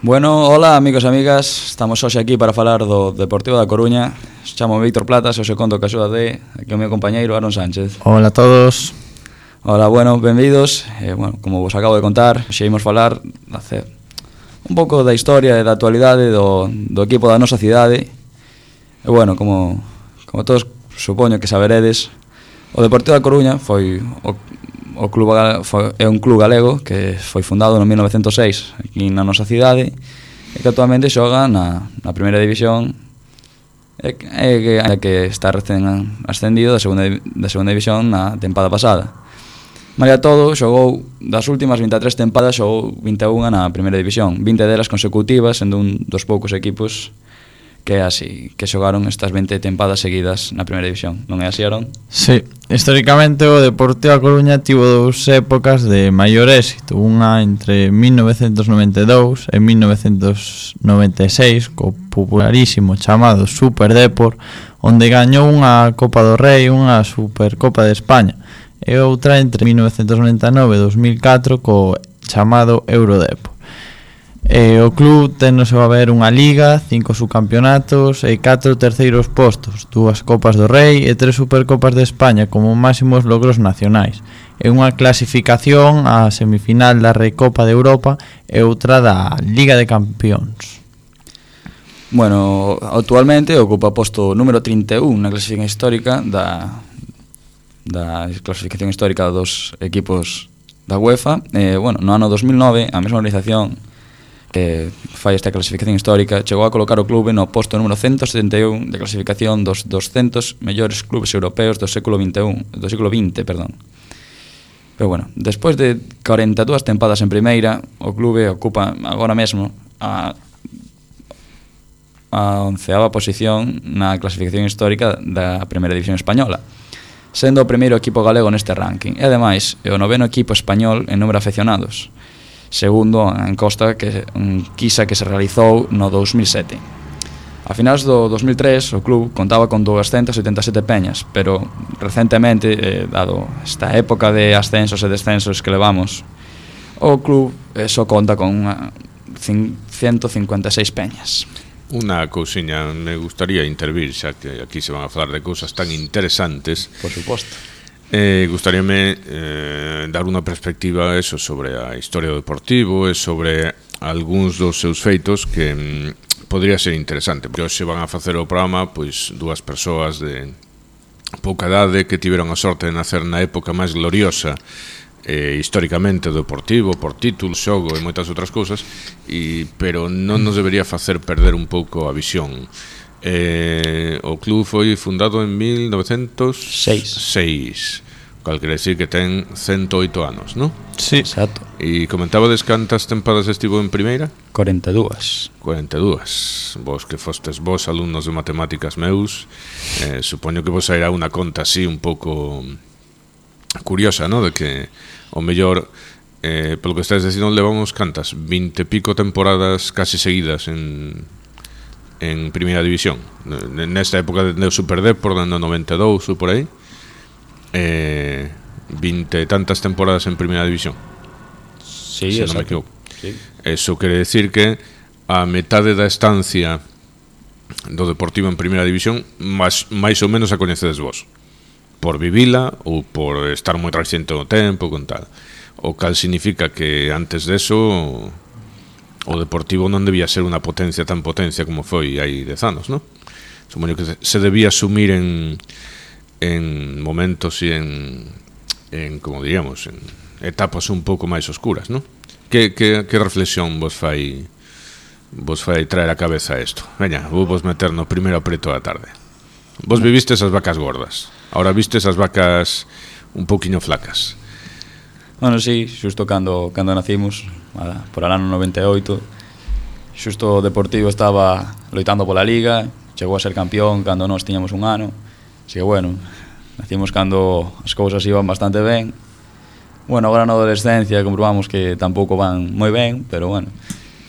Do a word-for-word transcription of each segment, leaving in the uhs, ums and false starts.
Bueno, hola amigos e amigas, estamos hoxe aquí para falar do Deportivo da Coruña. Chamo Víctor Platas e hoxe conto que axuda de aquí o meu compañeiro Aaron Sánchez. Hola a todos. Hola, bueno, benvidos. eh, bueno, como vos acabo de contar, hoxe imos falar hacer un pouco da historia e da actualidade do, do equipo da nosa cidade. E bueno, como, como todos supoño que saberedes, o Deportivo da Coruña foi o O club foi, é un club galego que foi fundado no mil novecentos e seis aquí na nosa cidade e que actualmente xoga na, na primeira división e, e que, que está recén ascendido da segunda, da segunda división na tempada pasada. Malia todo, xogou das últimas vinte e tres tempadas, xogou vinte e unha na primeira división, vinte delas consecutivas, sendo un dos poucos equipos que así que xogaron estas vinte tempadas seguidas na primeira división. Non é así, Aaron? Sí, históricamente o Deportivo da Coruña tivo dous épocas de maior éxito, unha entre mil novecentos noventa e dous e mil novecentos noventa e seis co popularísimo chamado Super Depor, onde gañou unha Copa do Rei, unha Supercopa de España, e outra entre mil novecentos noventa e nove e dos mil catro co chamado Eurodepor. E o club ten no seu haber unha liga, cinco subcampeonatos e catro terceiros postos, dúas Copas do Rei e tres Supercopas de España como máximos logros nacionais, e unha clasificación á semifinal da Recopa de Europa e outra da Liga de Campións. Bueno, actualmente ocupa o posto número trinta e un na clasificación histórica da, da clasificación histórica dos equipos da UEFA. E, bueno, no ano dos mil nove, a mesma organización que fai esta clasificación histórica chegou a colocar o clube no posto número ciento setenta e un de clasificación dos doscentos mellores clubes europeos do século vinte e un, do século vinte, perdón. Pero bueno, despois de cuarenta e dúas tempadas en primeira, o clube ocupa agora mesmo a a onceava posición na clasificación histórica da primeira división española, sendo o primeiro equipo galego neste ranking, e ademais é o noveno equipo español en número de afeccionados, segundo a encosta que un Quisa que se realizou no dos mil sete. A finais do dos mil tres o club contaba con doscientas setenta e sete peñas, pero recentemente, eh, dado esta época de ascensos e descensos que levamos, o club eh, só conta con unha ciento cincuenta e seis peñas. Unha cousiña, me gustaría intervir, xa que aquí se van a falar de cousas tan interesantes. Por suposto. Eh, gustaríame eh, dar unha perspectiva eso sobre a historia do Deportivo e sobre algúns dos seus feitos que mm, podría ser interesante, porque hoxe van a facer o programa pois dúas persoas de pouca idade que tiveron a sorte de nacer na época máis gloriosa eh, históricamente do Deportivo, por títulos, xogo e moitas outras cousas, e, pero non nos debería facer perder un pouco a visión. Eh, o club foi fundado en mil novecentos e seis, cal quere decir que ten ciento oito anos, non? Sí, exacto. E comentabades cantas tempadas estivo en primeira? cuarenta e dúas. cuarenta e dúas. Vos que fostes vos alumnos de matemáticas meus, eh, supoño que vos sairá unha conta así un pouco curiosa, non? De que o mellor eh, polo que estáis dicindo levamos cantas vinte e pico temporadas casi seguidas en en primeira división, nesta época do Super Depor, no noventa e dous ou por aí, eh, vinte e tantas temporadas en primeira división. Sí, se non me equivoco. Sí. Eso quere decir que a metade da estancia do Deportivo en primeira división máis, máis ou menos a coñecedes vos, por vivila ou por estar moi reciente no tempo con tal, o cal significa que antes deso o Deportivo non debía ser unha potencia tan potencia como foi hai dez anos, non? Supoño que se debía asumir en en momentos e en, en como diríamos, en etapas un pouco máis oscuras, non? Que, que, que reflexión vos fai vos fai traer a cabeza isto? Veña, vou vos meter no primeiro apreto da tarde. Vos vivistes as vacas gordas, ahora vistes as vacas un pouquiño flacas. Bueno, sí, xusto cando, cando nacimos, por el ano noventa e oito, xusto o Deportivo estaba loitando pola Liga, chegou a ser campeón cando nós tiñamos un ano, así que bueno, nacimos cando as cousas iban bastante ben. Bueno, agora na adolescencia comprobamos que tampouco van moi ben, pero bueno,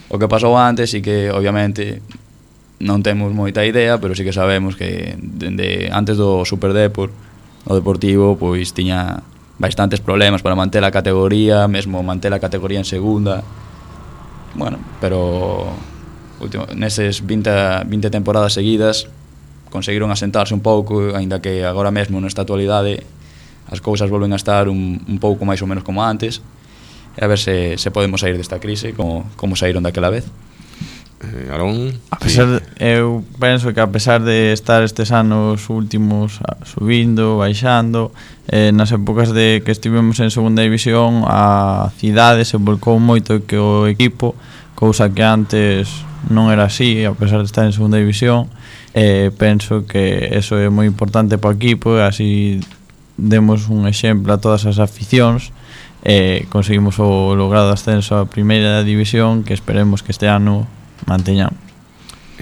o que pasou antes sí que obviamente non temos moita idea, pero sí que sabemos que dende antes do Super Depor, o Deportivo pois tiña bastantes problemas para manter a categoría, mesmo manter a categoría en segunda. bueno, pero último, neses vinte, vinte temporadas seguidas conseguiron asentarse un pouco, aínda que agora mesmo nesta actualidade as cousas volven a estar un, un pouco máis ou menos como antes, e a ver se, se podemos sair desta crise como, como saíron daquela vez. Eh, Arón, a pesar de, eu penso que a pesar de estar estes anos últimos subindo, baixando, eh, nas épocas de que estivemos en segunda división, a cidade se volcou moito que o equipo, cousa que antes non era así, a pesar de estar en segunda división. Eh, penso que eso é moi importante para o equipo, e así demos un exemplo a todas as aficións, e eh, conseguimos o logrado ascenso a primeira división, que esperemos que este ano manteñamos.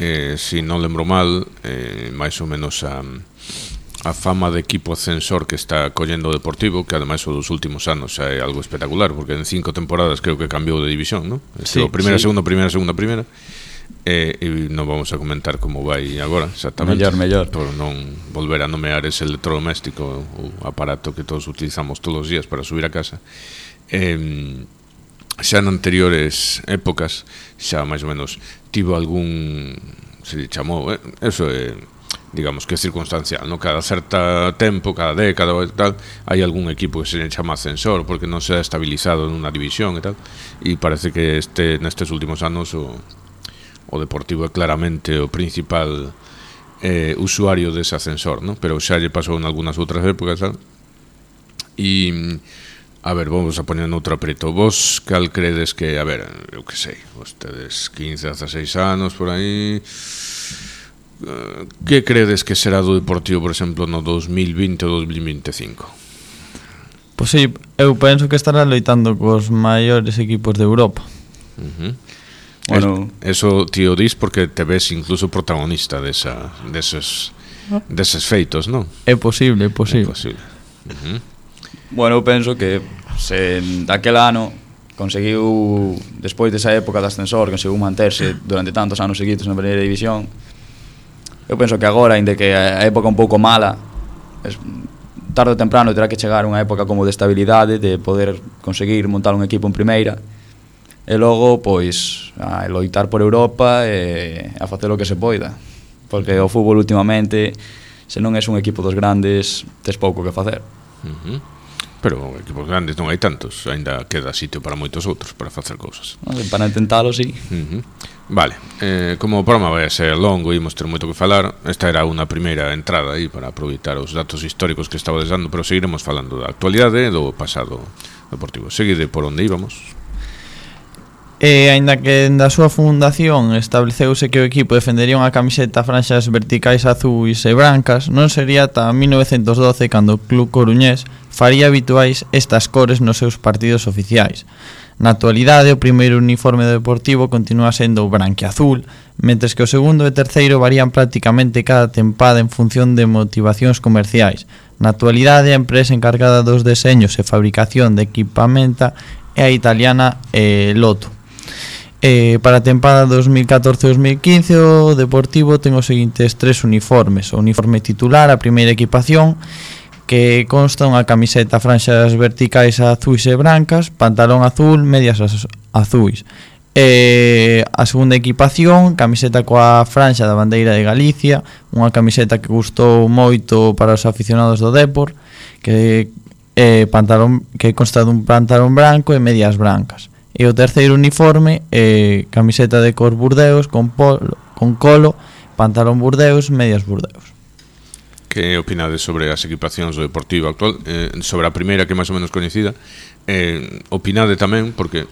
Eh, si non lembro mal, eh, máis ou menos a, a fama de equipo ascensor que está collendo o Deportivo, que ademais o dos últimos anos xa é algo espectacular, porque en cinco temporadas creo que cambiou de división, ¿no? Sí, primeira, sí. segunda, primeira, segunda, primeira. E, e non vamos a comentar como vai agora exactamente, mellor, mellor. por non volver a nomear ese electrodoméstico, o aparato que todos utilizamos todos os días para subir a casa. eh, xa en anteriores épocas xa máis ou menos tivo algún, se chamou, eh, eso é, digamos que é circunstancial, no? Cada certa tempo, cada década ou tal, hai algún equipo que se chama ascensor porque non se ha estabilizado nunha división e tal, e parece que este nestes últimos anos o o Deportivo é claramente o principal eh, usuario dese ascensor, ¿no? Pero xa lle pasou en algunhas outras épocas, ¿sabes? E, a ver, vamos a poner outro apreto. Vos cal credes que, a ver, eu que sei, vostedes quince, dezaseis anos por aí, uh, que credes que será do Deportivo, por exemplo, no dos mil vinte ou dos mil vinte e cinco? Pois sí, eu penso que estará loitando cos maiores equipos de Europa. Uh-huh. Bueno, eso tío dis porque te ves incluso protagonista desa, deses, deses feitos, non? É posible, é posible. É posible. Uh-huh. Bueno, eu penso que se daquel ano conseguiu, despois desa época de ascensor, conseguiu manterse durante tantos anos seguidos na primeira división, eu penso que agora, ainda que a época un pouco mala, es, tarde ou temprano terá que chegar unha época como de estabilidade, de poder conseguir montar un equipo en primeira, e logo, pois, a loitar por Europa e a facer o que se poida, porque o fútbol últimamente, se non és un equipo dos grandes, tes pouco que facer. Uh-huh. Pero equipos grandes non hai tantos, aínda queda sitio para moitos outros para facer cousas. Para intentalo, sí. Uh-huh. Vale, eh, como o programa vai a ser longo e imos ter moito que falar, esta era unha primeira entrada aí para aproveitar os datos históricos que estaba dando, pero seguiremos falando da actualidade e do pasado deportivo. Seguide por onde íbamos. E aínda que da súa fundación estableceuse que o equipo defendería unha camiseta franxas verticais azuis e brancas, non sería ata mil novecentos doce cando o club coruñés faría habituais estas cores nos seus partidos oficiais. Na actualidade, o primeiro uniforme do Deportivo continúa sendo o branquiazul, mentres que o segundo e terceiro varían prácticamente cada tempada en función de motivacións comerciais. Na actualidade, a empresa encargada dos deseños e fabricación de equipamenta é a italiana eh, Lotto. Eh, para a tempada dos mil catorce dos mil quince o Deportivo ten os seguintes tres uniformes: o uniforme titular, a primeira equipación, que consta unha camiseta franxas verticais azuis e brancas, pantalón azul, medias azuis. E a segunda equipación, camiseta coa franxa da bandeira de Galicia, unha camiseta que gustou moito para os aficionados do Depor, que é pantalón que consta dun pantalón branco e medias brancas. E o terceiro uniforme é camiseta de cor burdeos con polo, con colo, pantalón burdeos, medias burdeos. Que opinades sobre as equipacións do Deportivo actual? Eh, sobre a primeira, que é máis ou menos coñecida, eh, opinade tamén, porque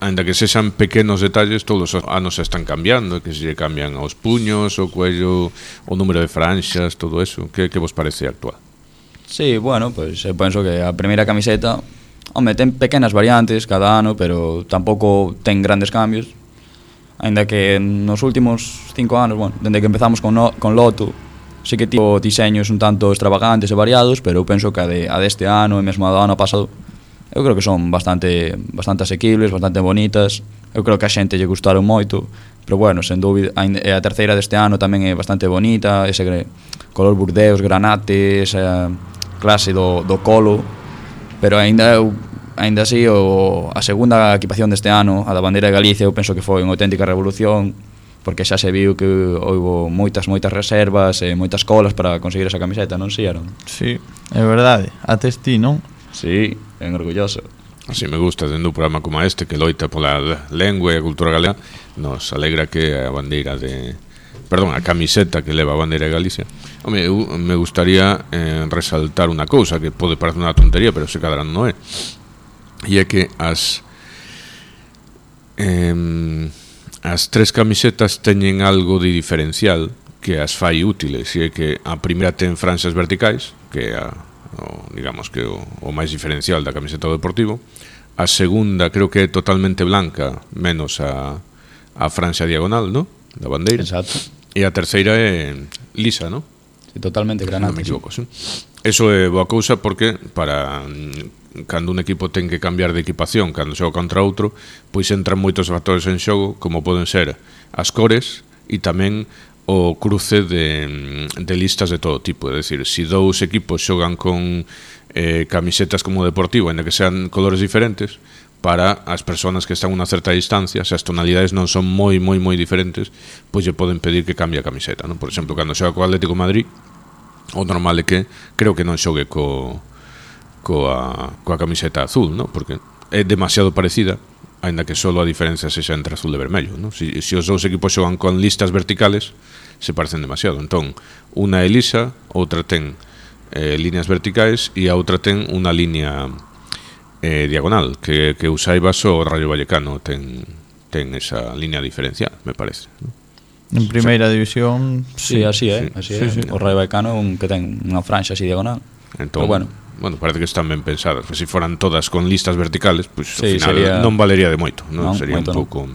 ainda que sexan pequenos detalles, todos os anos se están cambiando, que se lle cambian os puños, o cuello, o número de franxas, todo eso. Que, que vos parece actual? Sí, bueno, pois pues, eu penso que a primeira camiseta, home, ten pequenas variantes cada ano, pero tampouco ten grandes cambios. Ainda que nos últimos cinco anos, bueno, dende que empezamos con, no, con Lotto, sí que tivo diseños un tanto extravagantes e variados, pero eu penso que a, de, a deste ano e mesmo a do ano pasado, eu creo que son bastante bastante asequibles, bastante bonitas. Eu creo que a xente lle gustaron moito, pero bueno, sen dúbida, a terceira deste ano tamén é bastante bonita, ese color burdeos, granate, esa clase do, do colo, pero aínda eu aínda así, o, a segunda equipación deste ano, a da bandeira de Galicia, eu penso que foi unha auténtica revolución, porque xa se viu que houbo moitas, moitas reservas e moitas colas para conseguir esa camiseta, non si, Aaron? Sí, é verdade, ates ti, non? Sí, ben orgulloso. Así me gusta, dentro un programa como este que loita pola lengua e a cultura galega, nos alegra que a bandeira de... Perdón, a camiseta que leva a bandeira de Galicia. Home, eu me gustaría eh, resaltar unha cousa que pode parecer unha tontería, pero se cadra non é. E é que as eh, as tres camisetas teñen algo de diferencial que as fai útiles, e é que a primeira ten franxas verticais, que é a, o, digamos que o, o máis diferencial da camiseta do Deportivo. A segunda creo que é totalmente blanca, menos a, a franxa diagonal, ¿no?, da bandeira. Exacto. E a terceira é lisa, ¿no? Sí, totalmente granate. Non me equivoco, sí. Eso é boa cousa porque para cando un equipo ten que cambiar de equipación cando xoga contra outro, pois entran moitos factores en xogo, como poden ser as cores e tamén o cruce de, de listas de todo tipo. É dicir, se dous equipos xogan con eh, camisetas como Deportivo, ainda que sean colores diferentes, para as persoas que están a unha certa distancia, se as tonalidades non son moi, moi, moi diferentes, pois lle poden pedir que cambie a camiseta, non? Por exemplo, cando xoga co Atlético de Madrid, o normal é que creo que non xogue co, coa, coa camiseta azul, non? Porque é demasiado parecida, aínda que só a diferencia sexa entre azul e vermello, non? Se, se os dous equipos xogan con listas verticales, se parecen demasiado. Entón, unha é lisa, outra ten eh, líneas verticais e a outra ten unha línea eh, diagonal, que, que usaiba só o Rayo Vallecano ten, ten esa línea diferencial, me parece, non? En primeira división, sí, así é, sí, así sí, é. sí. O Rayo Vallecano é un que ten unha franxa así diagonal. Entón, pero bueno, bueno, parece que están ben pensadas. Se si foran todas con listas verticales, pois pues, sí, ao final sería... non valería de moito, non? Non, Sería un moito pouco.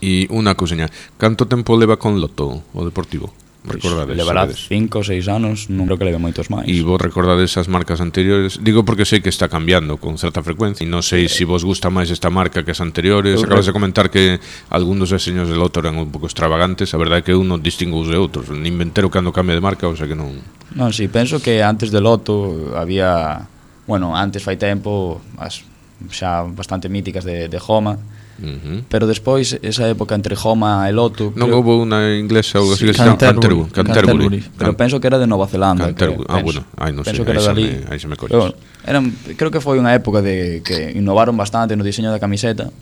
E unha cousiña, canto tempo leva con Loto o Deportivo? Recordades? Levará sabedes? cinco ou seis anos, non creo que leve moitos máis. E vos recordades as marcas anteriores? Digo porque sei que está cambiando con certa frecuencia e non sei se si vos gusta máis esta marca que as anteriores. Eu Acabas re... de comentar que algúns dos deseños de Loto eran un pouco extravagantes. A verdade é que eu non distingo os de outros, nin me entero cando cambia de marca, o sea que non... Non, si, sí, penso que antes de Loto había, bueno, antes fai tempo as xa bastante míticas de, de Homa. Uh-huh. Pero despois, esa época entre Homa e Loto, non creo... houve unha inglesa ou así Sí, que se chama Canterbury. Canterbury, Canterbury. Pero penso que era de Nova Zelanda. Canterbury. Que, Ah, penso, bueno, ai, non sei, penso que aí era xa dali. me, aí xa me colles. Pero, eran, creo que foi unha época de que innovaron bastante no diseño da camiseta,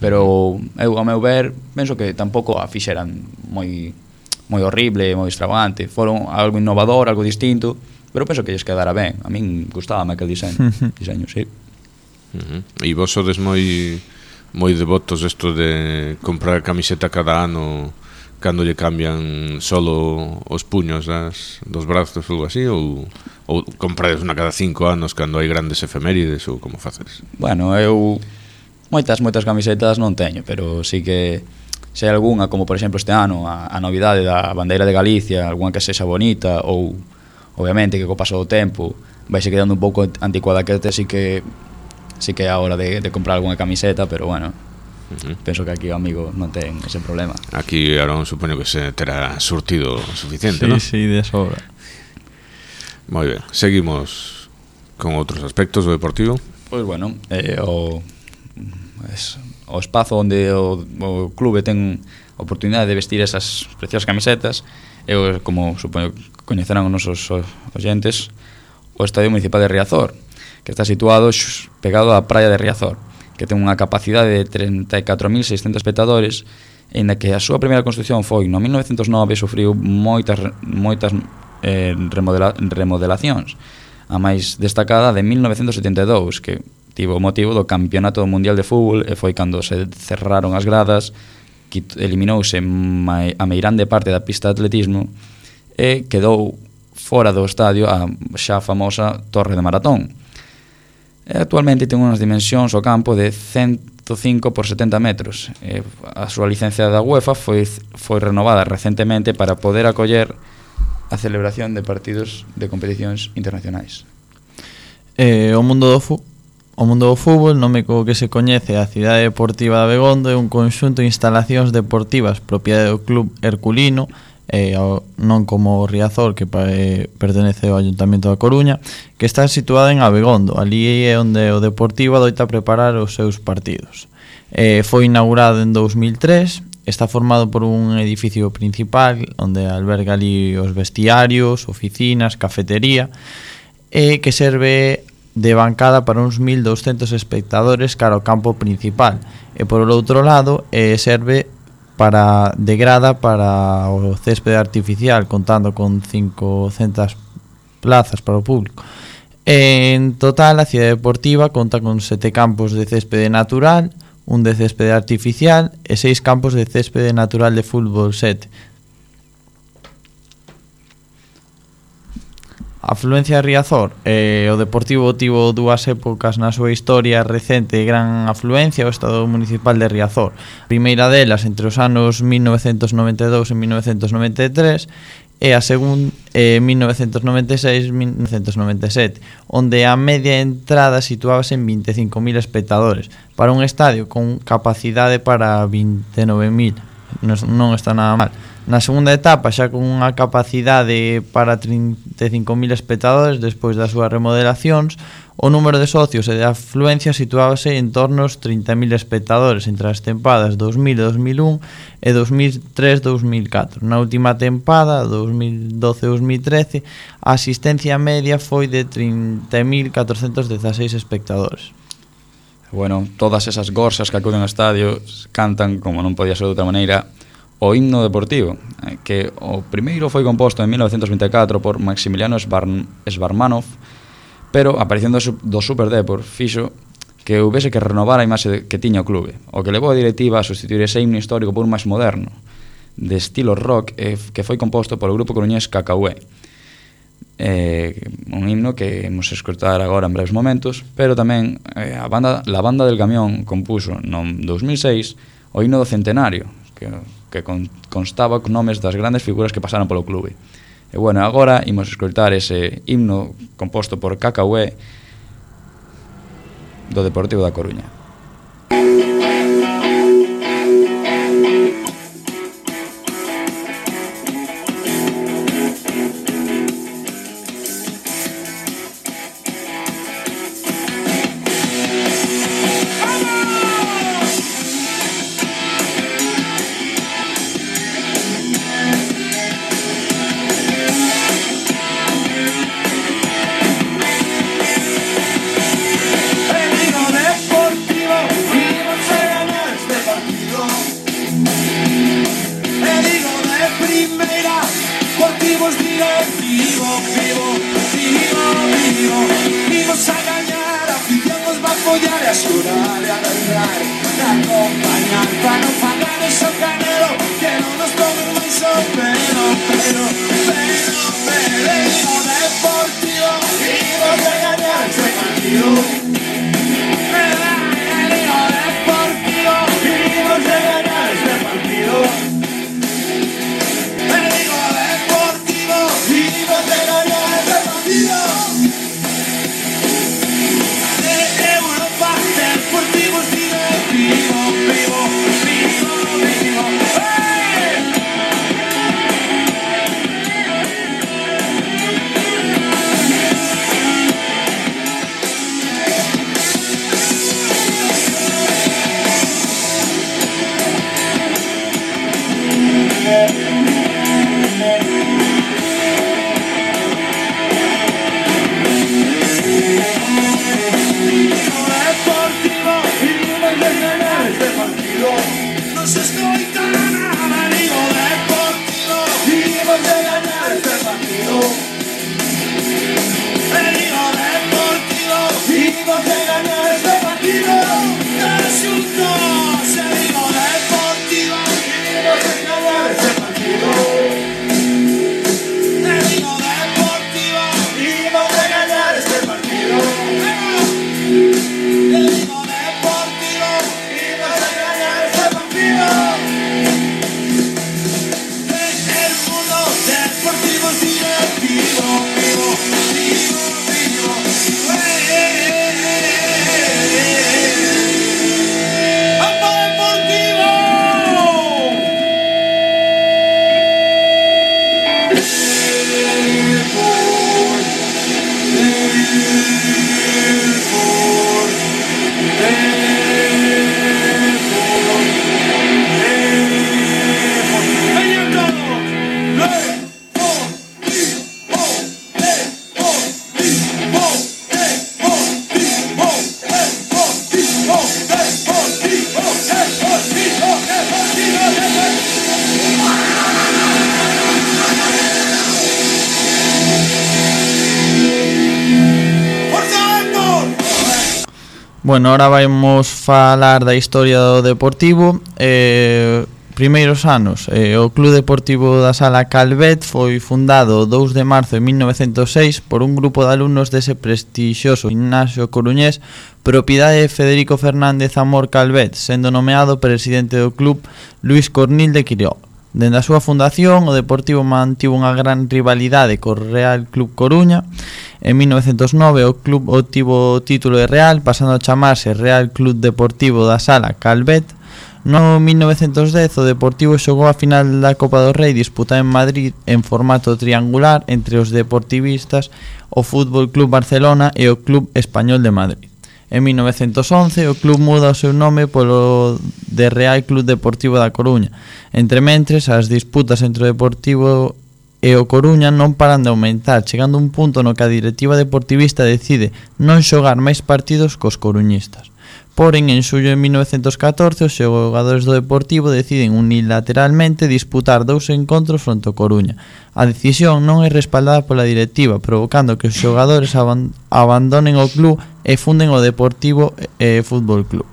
pero eu, a meu ver, penso que tampouco a fixeran moi moi horrible, moi extravagante. Foron algo innovador, algo distinto, pero penso que lles quedara ben. A min gustábame aquel diseño, diseño, sí. Uh-huh. E vos sodes moi moi devotos isto de comprar camiseta cada ano cando lle cambian solo os puños das, dos brazos ou algo así, ou, ou comprades unha cada cinco anos cando hai grandes efemérides, ou como faces? Bueno, eu moitas, moitas camisetas non teño, pero sí que se hai algunha, como por exemplo este ano a, a novidade da bandeira de Galicia, algunha que sexa bonita, ou obviamente que co paso do tempo vaise quedando un pouco anticuada, que sí que sí que é a hora de, de comprar algunha camiseta, pero bueno, uh-huh. penso que aquí o amigo non ten ese problema. Aquí Aaron supoño que se terá surtido suficiente, sí, ¿no? Sí, de sobra. Moi ben, seguimos con outros aspectos do Deportivo. Pois bueno, eh, o, es, o espazo onde o, o clube ten oportunidade de vestir esas preciosas camisetas, eu, como supoño que coñecerán os nosos oyentes, o Estadio Municipal de Riazor, que está situado pegado á praia de Riazor, que ten unha capacidade de treinta e catro mil seiscentos espectadores, e na que a súa primeira construción foi no mil novecentos nove, sufriu moitas moitas eh, remodela, remodelacións. A máis destacada de mil novecentos setenta e dous, que tivo o motivo do Campeonato Mundial de Fútbol, e foi cando se cerraron as gradas, que eliminouse a meirande parte da pista de atletismo e quedou fora do estadio a xa famosa Torre de Maratón. E actualmente ten unhas dimensións o campo de ciento cinco por setenta metros. E a súa licencia da UEFA foi, foi renovada recentemente para poder acoller a celebración de partidos de competicións internacionais. Eh, o mundo do fu O mundo do fútbol, nome co que se coñece a Cidade Deportiva de Abegondo, é un conxunto de instalacións deportivas propiedade do Club Herculino eh, ao, non como o Riazor, que pa, eh, pertenece ao Ayuntamento da Coruña, que está situada en Abegondo. Ali é onde o Deportivo adoita preparar os seus partidos. Eh, foi inaugurado en dous mil tres, está formado por un edificio principal onde alberga ali os vestiarios, oficinas, cafetería, e que serve de bancada para uns mil douscentos espectadores cara ao campo principal, e por outro lado eh, serve para de grada para o céspede artificial, contando con cincocentas plazas para o público. En total, a cidade deportiva conta con sete campos de céspede natural, un de céspede artificial e seis campos de céspede natural de fútbol sete. Afluencia de Riazor, eh, o Deportivo tivo dúas épocas na súa historia recente de gran afluencia ao Estado Municipal de Riazor. A primeira delas entre os anos mil novecentos noventa e dous e mil novecentos noventa e tres e a segunda eh, mil novecentos noventa e seis e mil novecentos noventa e sete, onde a media entrada situábase en vinte e cinco mil espectadores para un estadio con capacidade para vinte e nove mil. Non, non está nada mal. Na segunda etapa, xa con unha capacidade para trinta e cinco mil espectadores despois das súas remodelacións, o número de socios e de afluencia situábase en torno aos trinta mil espectadores entre as tempadas dos mil e dos mil un e dos mil tres e dos mil catro. Na última tempada, dos mil doce e dos mil trece, a asistencia media foi de trinta mil catrocentos dezaseis espectadores. Bueno, todas esas gorsas que acuden ao estadio cantan, como non podía ser de outra maneira, o himno deportivo, que o primeiro foi composto en mil novecentos vinte e catro por Maximiliano Svarmanov, pero a aparición do Super Depor fixo que houvese que renovar a imaxe que tiña o clube, o que levou a directiva a sustituir ese himno histórico por un máis moderno, de estilo rock, que foi composto polo grupo coruñés Cacahué. Eh, un himno que imos escoitar agora en breves momentos, pero tamén eh, a banda, la banda del camión compuso no dous mil seis o himno do centenario, que que constaba con nomes das grandes figuras que pasaron polo clube. E bueno, agora imos escoitar ese himno composto por Cacahué do Deportivo da Coruña. Bueno, ahora vamos falar da historia do Deportivo. eh, Primeiros anos, eh, o Club Deportivo da Sala Calvet foi fundado o dous de marzo de mil novecentos e seis por un grupo de alumnos dese prestixioso gimnasio coruñés, propiedade de Federico Fernández Amor Calvet, sendo nomeado presidente do club Luis Cornil de Quiroga. Dende a súa fundación, o Deportivo mantivo unha gran rivalidade co Real Club Coruña. En mil novecentos nove o club obtivo o título de Real, pasando a chamarse Real Club Deportivo da Sala Calvet. No mil novecentos dez o Deportivo xogou a final da Copa do Rei disputada en Madrid en formato triangular entre os deportivistas, o Fútbol Club Barcelona e o Club Español de Madrid. En mil novecentos once o club muda o seu nome polo de Real Club Deportivo da Coruña. Entre mentres, as disputas entre o Deportivo e o Coruña non paran de aumentar, chegando a un punto no que a directiva deportivista decide non xogar máis partidos cos coruñistas. Porén, en xullo de mil novecentos catorce, os xogadores do Deportivo deciden unilateralmente disputar dous encontros fronte ao Coruña. A decisión non é respaldada pola directiva, provocando que os xogadores aban- abandonen o club e funden o Deportivo e Fútbol Club.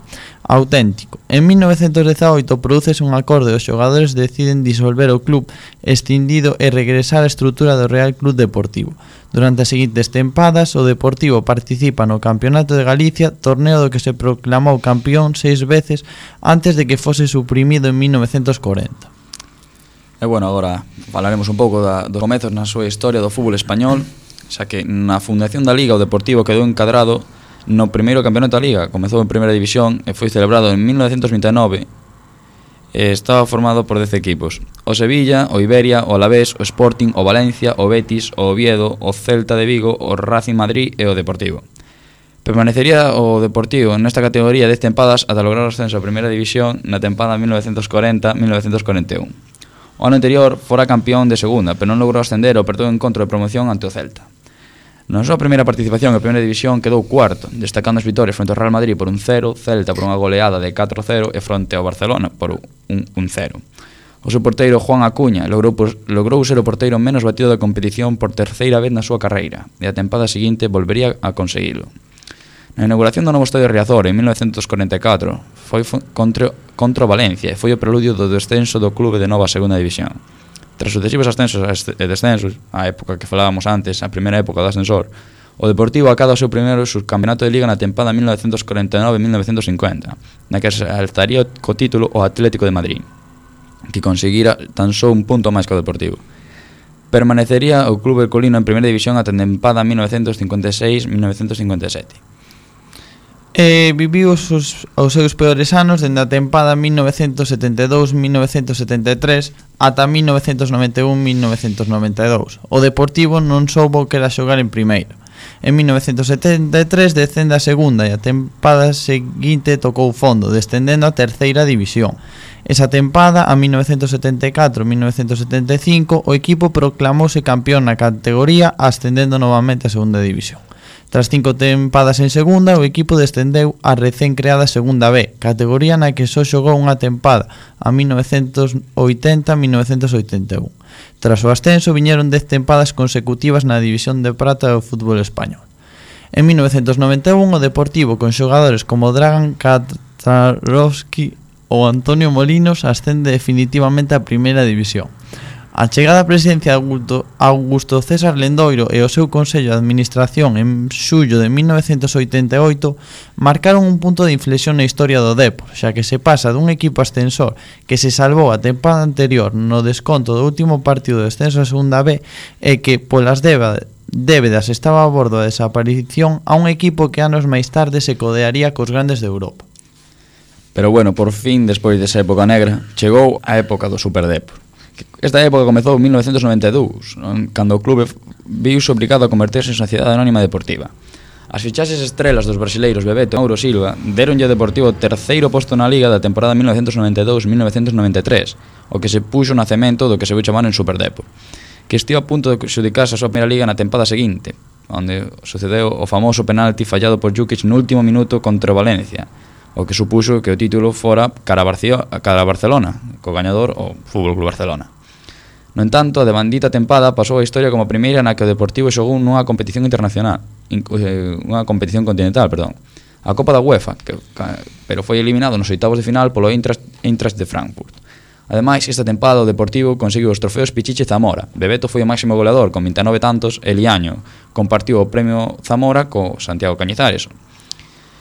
Auténtico. En mil novecentos dezaoito prodúcese un acordo e os xogadores deciden disolver o club extindido e regresar á estrutura do Real Club Deportivo. Durante as seguintes tempadas, o Deportivo participa no Campeonato de Galicia, torneo do que se proclamou campeón seis veces antes de que fose suprimido en mil novecentos corenta. E bueno, agora falaremos un pouco da, dos comezos na súa historia do fútbol español, xa que na fundación da Liga o Deportivo quedou encadrado no primeiro campeonato da Liga, comezou en primeira división e foi celebrado en mil novecentos vinte e nove. E estaba formado por dez equipos: o Sevilla, o Iberia, o Alavés, o Sporting, o Valencia, o Betis, o Oviedo, o Celta de Vigo, o Racing Madrid e o Deportivo. Permanecería o Deportivo nesta categoría dez tempadas ata lograr o ascenso a primeira división na tempada mil novecentos corenta a mil novecentos corenta e un. O ano anterior fora campeón de segunda, pero non logrou ascender e perdeu o encontro de promoción ante o Celta. Na súa primeira participación en primeira división quedou cuarto, destacando as vitorias fronte ao Real Madrid por un cero, Celta por unha goleada de catro cero e fronte ao Barcelona por un un cero. O seu porteiro Juan Acuña logrou, logrou ser o porteiro menos batido da competición por terceira vez na súa carreira e a tempada seguinte volvería a conseguilo. Na inauguración do novo estadio Riazor en mil novecentos corenta e catro foi contra, contra o Valencia e foi o preludio do descenso do clube de nova segunda división. Tras sucesivos ascensos e descensos, a época que falábamos antes, a primeira época do ascensor, o Deportivo acada o seu primeiro subcampeonato de Liga na tempada mil novecentos corenta e nove a mil novecentos cincuenta, na que se alzaría co título o Atlético de Madrid, que conseguira tan só un punto máis que o Deportivo. Permanecería o club herculino en primeira división ata a tempada mil novecentos cincuenta e seis a mil novecentos cincuenta e sete. E viviu os, os seus peores anos dende a tempada mil novecentos setenta e dous a mil novecentos setenta e tres ata mil novecentos noventa e un a mil novecentos noventa e dous. O Deportivo non soubo que era xogar en primeira. En mil novecentos setenta e tres descende a segunda e a tempada seguinte tocou fondo, descendendo a terceira división. Esa tempada, a mil novecentos setenta e catro a mil novecentos setenta e cinco, o equipo proclamouse campeón na categoría, ascendendo novamente a segunda división. Tras cinco tempadas en segunda, o equipo descendeu a recén creada segunda B, categoría na que só xogou unha tempada, a mil novecentos oitenta a mil novecentos oitenta e un. Tras o ascenso, viñeron dez tempadas consecutivas na división de prata do fútbol español. En mil novecentos noventa e un, o Deportivo, con xogadores como Dragan Katarovski ou Antonio Molinos, ascende definitivamente a primeira división. A chegada á presidencia de Augusto César Lendoiro e o seu Consello de Administración en xullo de mil novecentos oitenta e oito marcaron un punto de inflexión na historia do Depor, xa que se pasa dun equipo ascensor que se salvou a tempada anterior no desconto do último partido de descenso a segunda B e que polas débedas estaba a bordo da desaparición a un equipo que anos máis tarde se codearía cos grandes de Europa. Pero bueno, por fin, despois desa época negra, chegou a época do Super Depor, Esta época comezou en mil novecientos noventa e dous, cando o clube viuse obrigado a converterse en sociedade anónima deportiva. As fichaxes estrelas dos brasileiros Bebeto e Mauro Silva deronlle ao Deportivo o terceiro posto na Liga da temporada mil novecientos noventa e dous mil novecientos noventa e tres, o que se puxo o nacemento do que se veu chamar en Superdepor, que estivo a punto de xudicarse a súa primeira Liga na tempada seguinte, onde sucedeu o famoso penalti fallado por Jukic no último minuto contra o Valencia, o que supuxo que o título fora cara a Barcelona, co gañador o Fútbol Club Barcelona. No entanto, a devandita tempada pasou a historia como a primeira na que o Deportivo xogou nunha competición internacional, unha competición continental, perdón, a Copa da UEFA, que, pero foi eliminado nos oitavos de final polo Eintracht, Eintracht de Frankfurt. Ademais, esta tempada o Deportivo conseguiu os trofeos Pichichi e Zamora. Bebeto foi o máximo goleador con vinte e nove tantos e Liaño compartiu o premio Zamora co Santiago Cañizares.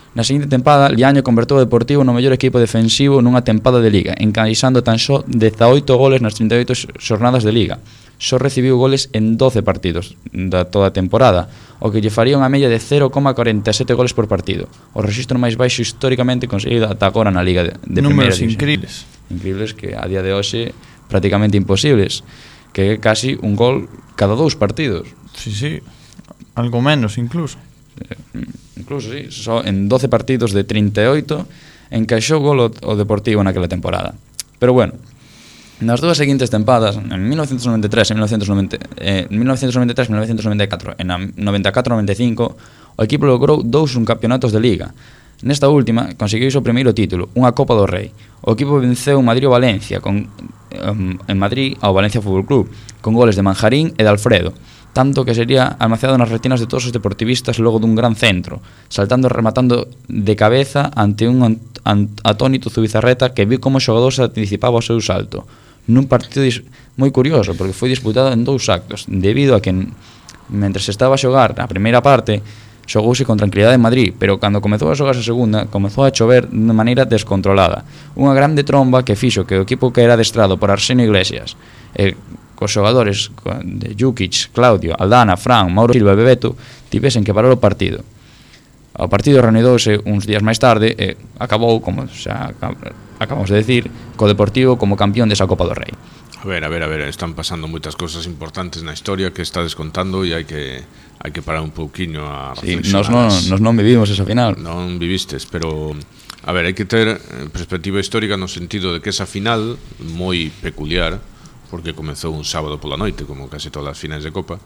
Na seguinte tempada, Liaño convertou o Deportivo no mellor equipo defensivo nunha tempada de Liga, encaixando tan só dezaoito goles nas trinta e oito xornadas de Liga. Só recibiu goles en doce partidos da toda a temporada, o que lle faría unha media de cero coma corenta e sete goles por partido, o rexistro máis baixo históricamente conseguido ata agora na Liga de, de Primeira División. Números incríveis. Incríveis que a día de hoxe prácticamente imposibles, que é casi un gol cada dous partidos. Sí, sí, algo menos incluso. Incluso, sí, só en doce partidos de trinta e oito encaixou gol o Deportivo naquela temporada. Pero bueno, nas dúas seguintes tempadas, en mil novecientos noventa e tres e mil novecientos noventa, eh, mil novecientos noventa e tres e mil novecientos noventa e catro, en a noventa e catro noventa e cinco, o equipo logrou dous subcampeonatos de Liga. Nesta última, conseguiu o primeiro título, unha Copa do Rei. O equipo venceu Madrid ou Valencia, con, um, en Madrid ao Valencia Fútbol Club, con goles de Manjarín e de Alfredo, tanto que sería almacenado nas retinas de todos os deportivistas logo dun gran centro, saltando e rematando de cabeza ante un atónito Zubizarreta que viu como o xogador se anticipaba ao seu salto, nun partido moi curioso, porque foi disputado en dous actos, debido a que, mentre se estaba a xogar a primeira parte, xogouse con tranquilidade en Madrid, pero cando comezou a xogarse a segunda, comezou a chover de maneira descontrolada. Unha grande tromba que fixo que o equipo que era adestrado por Arsenio Iglesias, e cos xogadores de Jukic, Claudio, Aldana, Fran, Mauro Silva e Bebeto tivesen que parar o partido. O partido reanudouse uns días máis tarde e acabou, como xa acabamos de decir, co Deportivo como campeón desa Copa do Rei. A ver, a ver, a ver, están pasando moitas cousas importantes na historia que está descontando e hai que hai que parar un pouquiño a reflexionar. Sí, nos non, nos non vivimos esa final. Non vivistes, pero a ver, hai que ter perspectiva histórica no sentido de que esa final moi peculiar, porque comezou un sábado pola noite, como case todas as finais de Copa,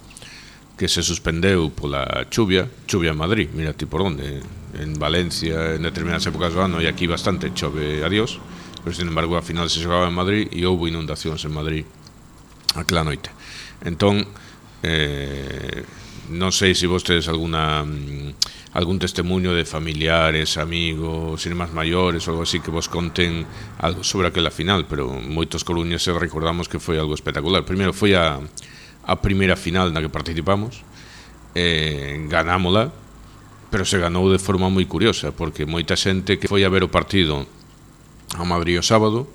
que se suspendeu pola chuvia, chuvia en Madrid, mira ti por onde, en Valencia, en determinadas épocas do ano, e aquí bastante chove a Dios, pero sin embargo a final se xogaba en Madrid e houve inundacións en Madrid aquela noite. Entón, eh, non sei se vos tedes alguna algún testemunho de familiares, amigos, irmáns maiores ou algo así que vos conten algo sobre aquela final, pero moitos coruñeses recordamos que foi algo espectacular. Primeiro foi a, a primeira final na que participamos, eh, ganámola, pero se ganou de forma moi curiosa, porque moita xente que foi a ver o partido a Madrid o sábado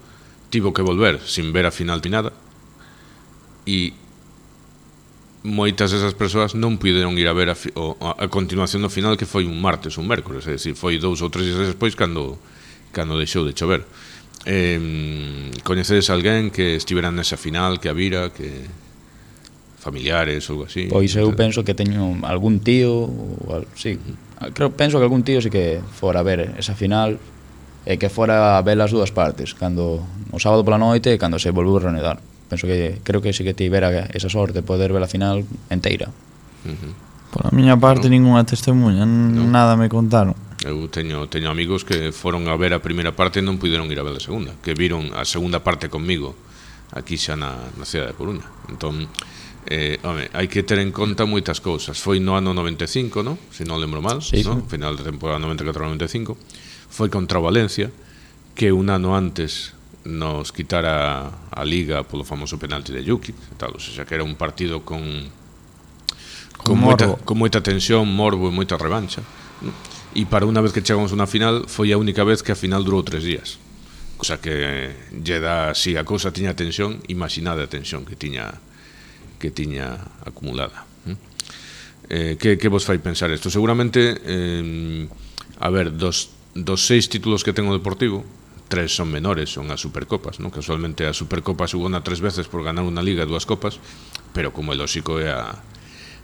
tivo que volver sin ver a final ni nada, e moitas desas persoas non puderon ir a ver a, fi, o, a continuación do final, que foi un martes, un mércoles, é dicir, foi dous ou tres días despois cando, cando deixou de chover. Eh, coñecedes alguén que estivera nesa final, que a vira, que familiares ou algo así? Pois eu penso que teño algún tío, ou, sí, creo, penso que algún tío sí que fora a ver esa final e que fora a ver as dúas partes, cando o sábado pola noite e cando se volveu a reanudar. Penso que, creo que sí que tivera esa sorte de poder ver a final enteira. Uh-huh. Por a miña parte, no. Ninguna testemunha, no. Nada me contaron. Eu teño, teño amigos que foron a ver a primeira parte e non puderon ir a ver a segunda, que viron a segunda parte conmigo aquí xa na, na cidade de Coruña. Entón, eh, home, hai que ter en conta moitas cousas. Foi no ano noventa e cinco, no? Se non lembro mal, sí, no? Sí. Final de temporada noventa e catro noventa e cinco. Foi contra o Valencia, que un ano antes nos quitara a Liga polo famoso penalti de Jukic, tal, o sea, que era un partido con con, con moita, con moita tensión, morbo e moita revancha, ¿no? E para unha vez que chegamos a unha final foi a única vez que a final durou tres días, cosa que lle dá, si a cousa tiña tensión, imaginade a tensión que tiña que tiña acumulada. Eh, que, que vos fai pensar isto? Seguramente, eh, a ver, dos, dos seis títulos que ten o Deportivo, tres son menores, son as Supercopas, non? Casualmente a Supercopa xugona tres veces por ganar unha liga e dúas copas, pero como é lógico é a,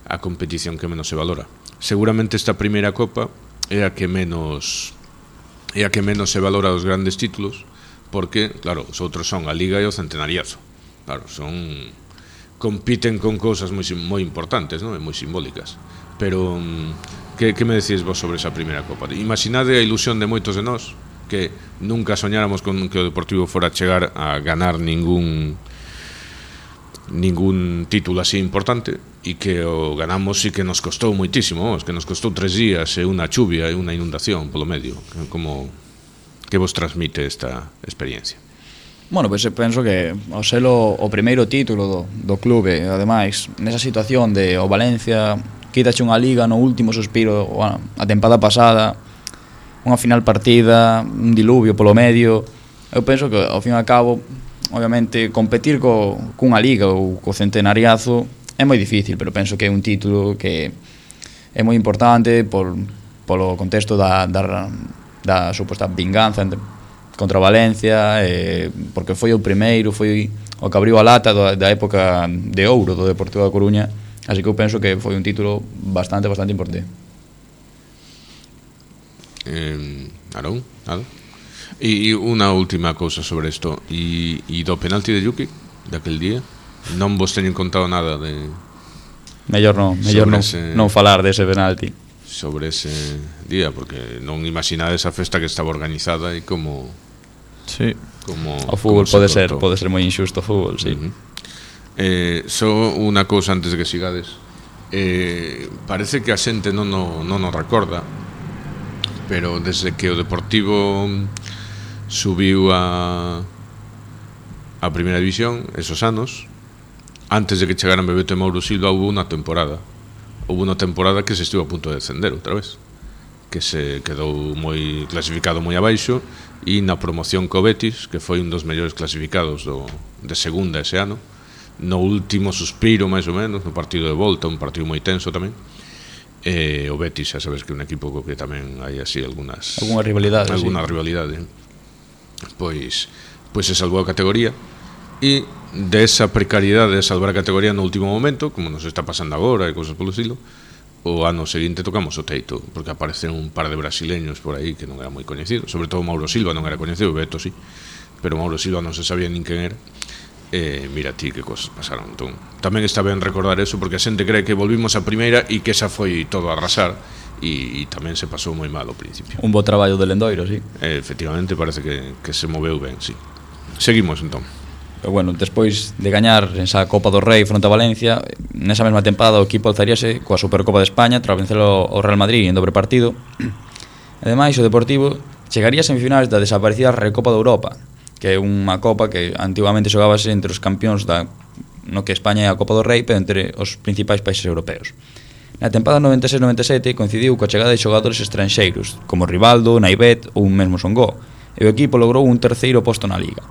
a competición que menos se valora. Seguramente esta primeira copa é a que menos é a que menos se valora os grandes títulos, porque, claro, os outros son a Liga e o Centenariazo. Claro, son compiten con cousas moi, moi importantes, non? E moi simbólicas. Pero que, que me decís vos sobre esa primeira copa? Imaginade a ilusión de moitos de nós que nunca soñáramos con que o Deportivo fora a chegar a ganar ningún ningún título así importante, e que o ganamos e que nos costou moitísimo, que nos costou tres días e unha chuvia e unha inundación polo medio. Como que vos transmite esta experiencia? Bueno, pois pues, penso que ao selo o primeiro título do, do clube, ademais, nesa situación de o Valencia quítache unha liga no último suspiro, bueno, a tempada pasada, unha final partida, un diluvio polo medio. Eu penso que, ao fin e ao cabo, obviamente, competir co, cunha liga ou co Centenariazo é moi difícil, pero penso que é un título que é moi importante por, polo contexto da, da, da suposta vinganza entre, contra Valencia, eh, porque foi o primeiro, foi o que abriu a lata da, da época de ouro do Deportivo da Coruña. Así que eu penso que foi un título bastante, bastante importante. Eh, Arón, nada. E unha última cousa sobre isto. E, e do penalti de Yuki, daquel día, non vos teñen contado nada de... Mellor non, mellor non, ese, non falar dese penalti. Sobre ese día, porque non imaginades a festa que estaba organizada e como... Sí. Como, o fútbol pode ser, cortou. pode ser moi injusto o fútbol, sí. Uh-huh. Eh, só unha cousa antes de que sigades. Eh, parece que a xente non o, non o recorda, pero desde que o Deportivo subiu a a primeira división, esos anos, antes de que chegaran Bebeto e Mauro Silva, houve unha temporada houve unha temporada que se estivo a punto de descender outra vez, que se quedou moi clasificado moi abaixo, e na promoción co Betis, que foi un dos mellores clasificados do, de segunda ese ano, no último suspiro máis ou menos, no partido de volta, un partido moi tenso tamén. Eh, o Betis, xa sabes que é un equipo co que tamén hai así algunhas alguna rivalidade, alguna sí. rivalidade. Pois pois se salvou a categoría, e desa precariedade de salvar a categoría no último momento, como nos está pasando agora e cousas polo estilo, o ano seguinte tocamos o teito, porque apareceron un par de brasileños por aí que non era moi coñecido, sobre todo Mauro Silva non era coñecido, Beto sí, pero Mauro Silva non se sabía nin quen era. Eh, mira ti que cosas pasaron. Entón, tamén está ben recordar eso, porque a xente cree que volvimos a primeira e que esa foi todo a arrasar, e, e tamén se pasou moi mal ao principio. Un bo traballo de Lendoiro, sí. Eh, efectivamente parece que, que se moveu ben, sí. Seguimos entón. Pero bueno, despois de gañar esa Copa do Rei fronte a Valencia, nesa mesma tempada o equipo alzaríase coa Supercopa de España tras vencer o Real Madrid en dobre partido. Ademais, o Deportivo chegaría a semifinais da desaparecida Recopa de Europa, que é unha copa que antigamente xogábase entre os campións da, no que España é a Copa do Rei, pero entre os principais países europeos. Na tempada noventa e seis noventa e sete coincidiu coa chegada de xogadores estranxeiros, como Rivaldo, Naibet ou un mesmo Songó, e o equipo logrou un terceiro posto na Liga.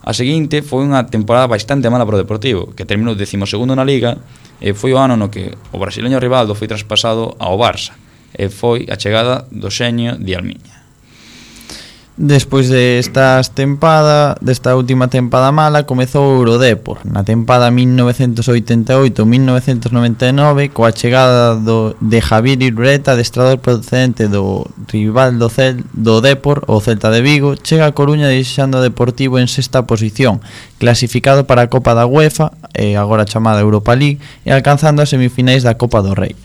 A seguinte foi unha temporada bastante mala para o Deportivo, que terminou décimo segundo na Liga, e foi o ano no que o brasileño Rivaldo foi traspasado ao Barça, e foi a chegada do xenio de Almiña. Despois destas tempada, desta última tempada mala, comezou o Eurodepor na tempada mil novecentos oitenta e oito mil novecentos noventa e nove, coa chegada do, de Javier Irureta, adestrador procedente do rival do, Cel, do Depor, o Celta de Vigo. Chega a Coruña deixando o Deportivo en sexta posición, clasificado para a Copa da UEFA, eh, agora chamada Europa League, e alcanzando as semifinais da Copa do Rei.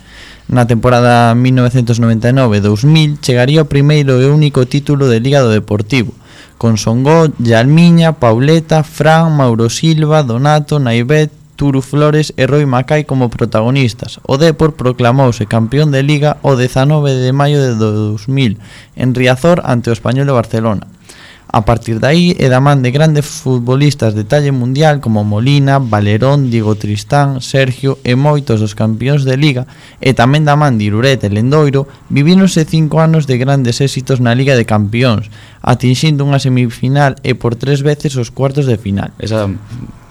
Na temporada mil novecentos noventa e nove dous mil chegaría o primeiro e único título de Liga do Deportivo, con Songó, Yalmiña, Pauleta, Fran, Mauro Silva, Donato, Naibet, Turu Flores e Roy Macai como protagonistas. O Depor proclamouse campeón de Liga o dezanove de maio de dous mil en Riazor ante o Español de Barcelona. A partir de aí, é da man de grandes futbolistas de talle mundial como Molina, Valerón, Diego Tristán, Sergio e moitos dos campións de Liga, e tamén da man de Irureta e Lendoiro, vivíronse cinco anos de grandes éxitos na Liga de Campións, atinxindo unha semifinal e por tres veces os cuartos de final. Esa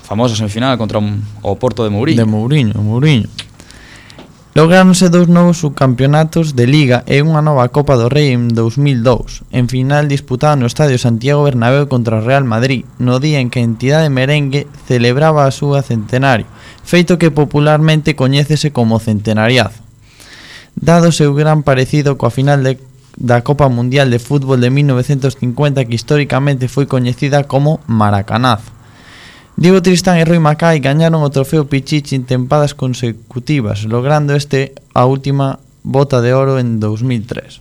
famosa semifinal contra un, o Porto de Mourinho. De Mourinho, Mourinho. Lográronse dous novos subcampeonatos de Liga e unha nova Copa do Rei en dous mil dous, en final disputada no Estadio Santiago Bernabéu contra o Real Madrid, no día en que a entidade merengue celebraba a súa centenario, feito que popularmente coñécese como centenariazo. Dado o seu gran parecido coa final de, da Copa Mundial de Fútbol de mil novecentos cincuenta, que históricamente foi coñecida como Maracanazo. Diego Tristán e Rui Macai gañaron o trofeo Pichichi en tempadas consecutivas, logrando este a última bota de oro en dous mil tres.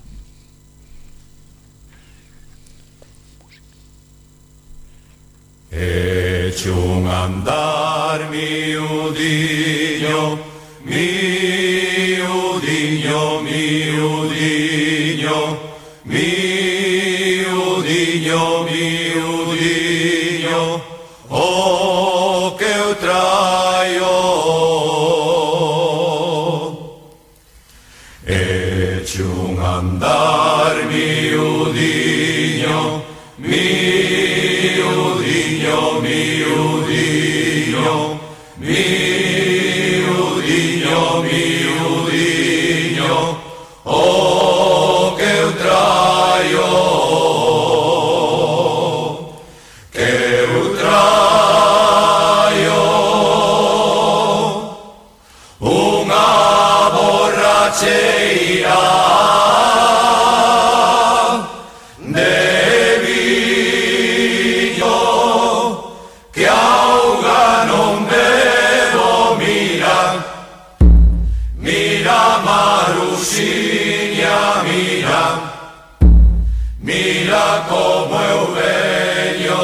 Eche un andar miudiño, miudiño, miudiño, miudiño, miudiño, o que eu traio. Eche un andar miudiño, miudiño, miudiño, miudiño, miudiño, o que eu traio, que eu traio unha borracheira de viño que auga non bebo. Mira, mira Marusiña, mira, mira como eu veño,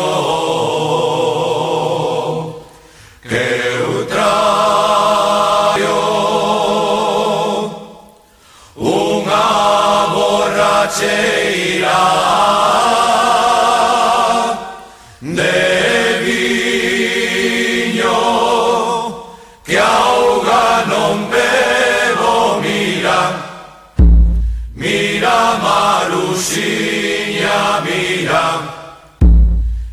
que eu traio unha borracheira de viño que auga non bebo. Mira, mira Marusiña, mira,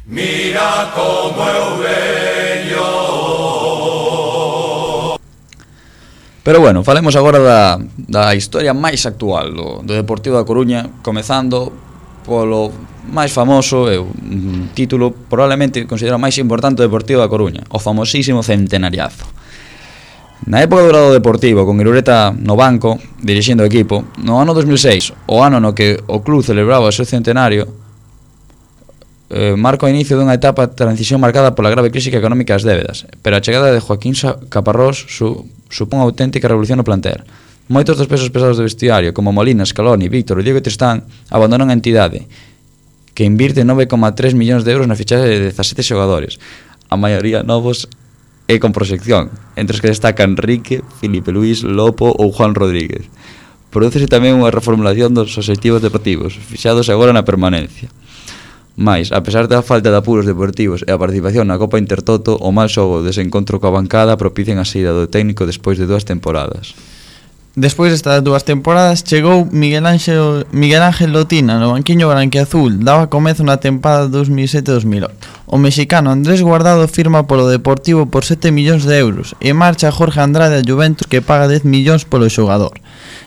mira como eu veño. Pero bueno, falemos agora da, da historia máis actual do, do Deportivo da Coruña, comezando polo máis famoso e un título probablemente considerado máis importante do Deportivo da Coruña, o famosísimo centenariazo. Na época do Grado Deportivo, con Irureta no banco, dirixindo o equipo, no ano dos mil seis, o ano no que o club celebraba o seu centenario, eh, marca o inicio dunha etapa de transición marcada pola grave crise económica das débedas, pero a chegada de Joaquín Caparrós su, supón unha auténtica revolución no plantel. Moitos dos pesos pesados do vestiario, como Molina, Scaloni, Víctor e Diego Tristán, abandonan a entidade, que invirte nove coma tres millóns de euros na fichaxe de dezasete xogadores, a maioría novos e con proxección, entre os que destacan Enrique, Filipe Luís, Lopo ou Juan Rodríguez. Prodúcese tamén unha reformulación dos obxectivos deportivos, fixados agora na permanencia. Mais, a pesar da falta de apuros deportivos e a participación na Copa Intertoto, o mal xogo dese encontro coa bancada propician a saída do técnico despois de dúas temporadas. Despois destas dúas temporadas chegou Miguel Ángel, Miguel Ángel Lotina no banquiño branquiazul, daba comezo na tempada dos mil sete dos mil oito. O mexicano Andrés Guardado firma polo Deportivo por sete millóns de euros e marcha Jorge Andrade a Juventus, que paga dez millóns polo xogador.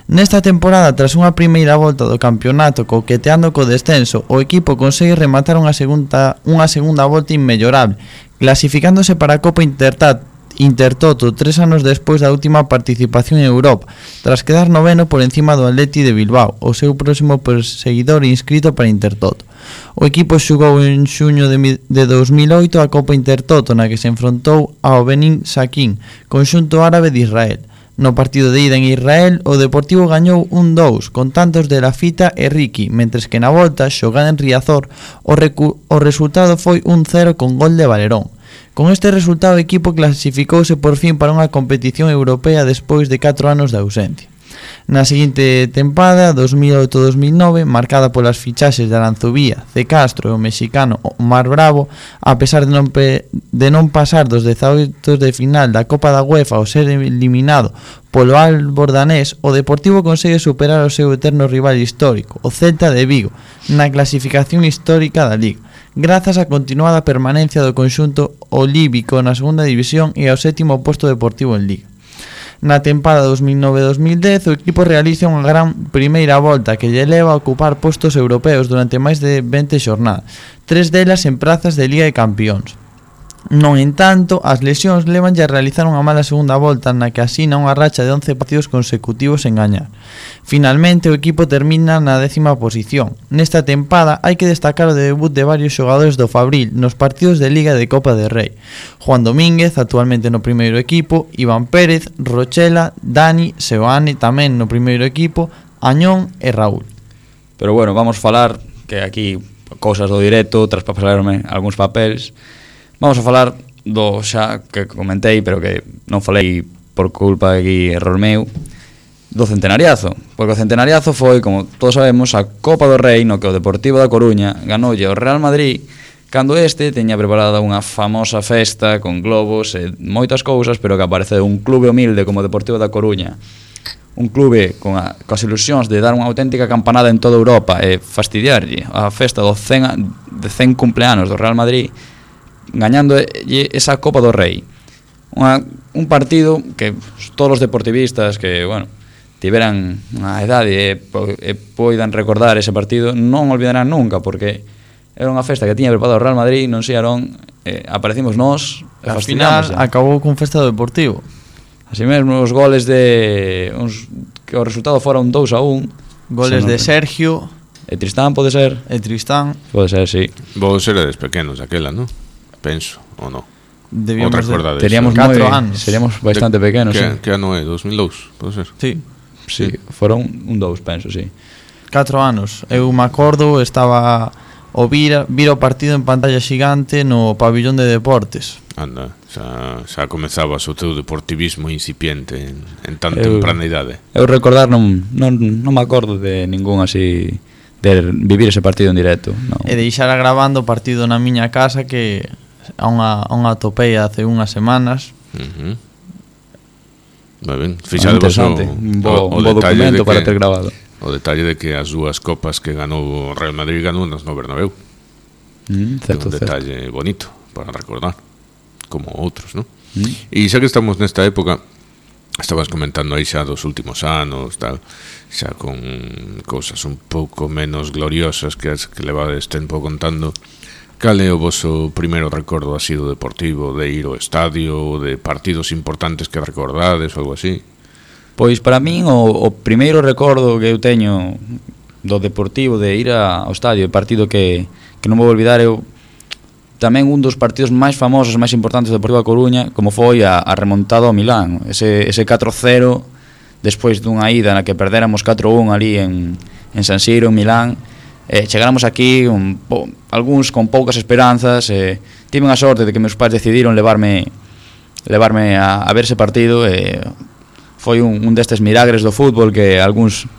Nesta temporada, tras unha primeira volta do campeonato coqueteando co descenso, o equipo consegue rematar unha segunda, unha segunda volta inmellorable, clasificándose para a Copa Intertat Intertoto tres anos despois da última participación en Europa, tras quedar noveno por encima do Atleti de Bilbao, o seu próximo perseguidor inscrito para Intertoto. O equipo xugou en xuño de, de dous mil oito a Copa Intertoto, na que se enfrontou ao Benin Saquín, conxunto árabe de Israel. No partido de ida en Israel, o Deportivo gañou un dous, con tantos de Lafita e Ricky, mentres que na volta, xogada en Riazor, o, recu- o resultado foi un cero con gol de Valerón. Con este resultado, o equipo clasificouse por fin para unha competición europea despois de catro anos de ausencia. Na seguinte tempada, dos mil oito dos mil nove, marcada polas fichaxes de Aranzubía, C. Castro e o mexicano Omar Bravo, a pesar de non, pe- de non pasar dos dezaoito de final da Copa da UEFA ao ser eliminado polo Albordanés, o Deportivo consegue superar o seu eterno rival histórico, o Celta de Vigo, na clasificación histórica da Liga, grazas á continuada permanencia do conxunto olívico na segunda división e ao sétimo posto deportivo en Liga. Na tempada dos mil nove dos mil dez o equipo realiza unha gran primeira volta que lle leva a ocupar postos europeos durante máis de vinte xornadas, tres delas en prazas de Liga de Campións. Non entanto, as lesións levanlle a realizar unha mala segunda volta na que asina unha racha de once partidos consecutivos en gañar. Finalmente o equipo termina na décima posición. Nesta tempada hai que destacar o debut de varios xogadores do Fabril nos partidos de Liga de Copa del Rei. Juan Domínguez, actualmente no primeiro equipo, Iván Pérez, Rochela, Dani, Seoane tamén no primeiro equipo, Añón e Raúl. Pero bueno, vamos falar que aquí cousas do directo, tras pasarme algúns papéis. Vamos a falar do xa que comentei, pero que non falei por culpa de aquí error meu, do centenariazo. Porque o centenariazo foi, como todos sabemos, a Copa do Rei no que o Deportivo da Coruña ganoulle ao Real Madrid cando este teña preparada unha famosa festa con globos e moitas cousas, pero que apareceu un clube humilde como o Deportivo da Coruña, un clube con a, coas ilusións de dar unha auténtica campanada en toda Europa e fastidiarlle a festa do cen, de cen cumpleanos do Real Madrid, gañando esa Copa do Rei. Unha, un partido que todos os deportivistas que, bueno, tiveran a edade e, e poidan recordar ese partido non olvidarán nunca, porque era unha festa que tiña preparado o Real Madrid, non sei Arón, eh, aparecimos nós e Al final acabou cun festa do Deportivo. Así mesmo, os goles de uns, que o resultado fora un dous a un, goles de Sergio e Tristán, pode ser? E Tristán. Pode ser, sí. Vos eres pequenos aquela, non? Penso, ou non? Debíamos de, teríamos catro moi, anos. Seríamos bastante de, pequenos, que, sí. Que ano é? dos mil dous, pode ser? Sí. Sí, sí. Foron un dous, penso, sí. Catro anos. Eu me acordo, estaba o vira, vira o partido en pantalla xigante no pabillón de deportes. Anda, xa, xa comezabas o teu deportivismo incipiente en, en tan eu, temprana idade. Eu recordar non, non, non me acordo de ningún así de vivir ese partido en directo, non. E deixara grabando o partido na miña casa que a unha, a unha topei hace unhas semanas. Uh-huh. Moi ben, fixadevos o, un bo, o, o un bo documento que, para ter grabado. O detalle de que as dúas copas que ganou o Real Madrid ganou nas no Bernabéu. Mm, certo, un detalle certo. bonito para recordar, como outros, non? Mm. E xa que estamos nesta época, estabas comentando aí xa dos últimos anos, tal, xa con cousas un pouco menos gloriosas que as que levades tempo contando. Cal é o vosso primeiro recordo así do deportivo, de ir ao estadio, de partidos importantes que recordades ou algo así? Pois para min o, o primeiro recordo que eu teño do deportivo de ir a, ao estadio, o partido que, que non vou olvidar, eu tamén un dos partidos máis famosos, máis importantes do Deportivo da Coruña, como foi a, a remontada ao Milán, ese, ese catro cero despois dunha ida na que perdéramos catro un ali en, en San Siro, en Milán. Eh, chegáramos aquí un, po, algúns con poucas esperanzas, eh, tive a sorte de que meus pais decidiron levarme levarme a, a ver ese partido e eh, foi un, un destes milagres do fútbol que algúns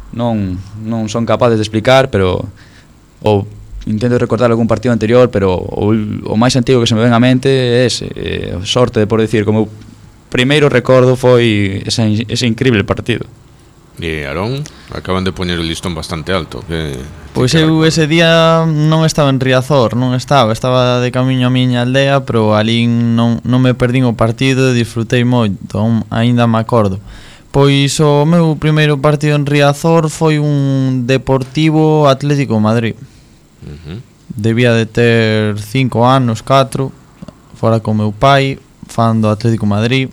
non, non son capaces de explicar, pero ou intento recordar algún partido anterior, pero o, o máis antigo que se me ven á mente é ese, eh, sorte de por decir, como primeiro recordo foi ese, ese increíble partido. E Arón, acaban de poñer o listón bastante alto. Que, Pois que eu ese día non estaba en Riazor, non estaba, estaba de camiño a miña aldea, pero ali non, non me perdín o partido e disfrutei moito, aínda me acordo. Pois o meu primeiro partido en Riazor foi un Deportivo Atlético Madrid. Uh-huh. Debía de ter cinco anos, catro, fora con meu pai, fan do Atlético Madrid.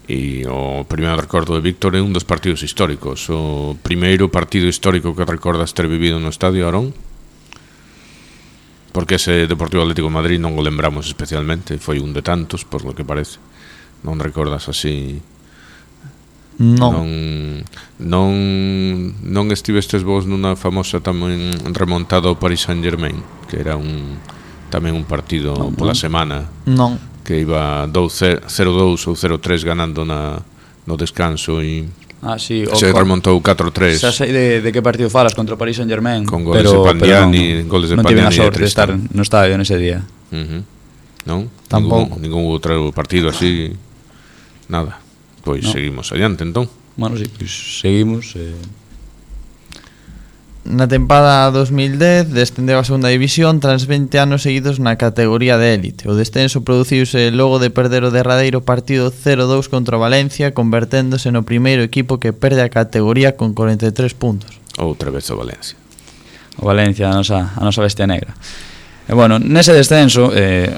E o primeiro recordo de Víctor é un dos partidos históricos. O primeiro partido histórico que recordas ter vivido no estadio, Arón? Porque ese Deportivo Atlético de Madrid non o lembramos especialmente, foi un de tantos, por lo que parece. Non recordas así? Non. Non, non, non estivestes vos nunha famosa tamén remontada ao Paris Saint-Germain, que era un tamén un partido non, pola semana. Non. Que iba cero dous ou cero tres ganando na, no descanso e ah, sí, se con, remontou catro tres. Xa sei de, de que partido falas, contra o Paris Saint-Germain, con goles pero, de Pandiani, non, goles de non Pandiani tive a sorte de estar no estadio nese día. Uh-huh. Non? Tampouco. Ningún, ningún outro partido así. Nada. Pois no. Seguimos adiante entón. Bueno, sí, pues seguimos eh... na tempada dos mil dez descendeu a segunda división tras vinte anos seguidos na categoría de élite. O descenso produciuse logo de perder o derradeiro partido cero dous contra o Valencia, converténdose no primeiro equipo que perde a categoría con corenta e tres puntos. Outra vez o Valencia. O Valencia, a nosa, a nosa bestia negra. E bueno, nese descenso eh,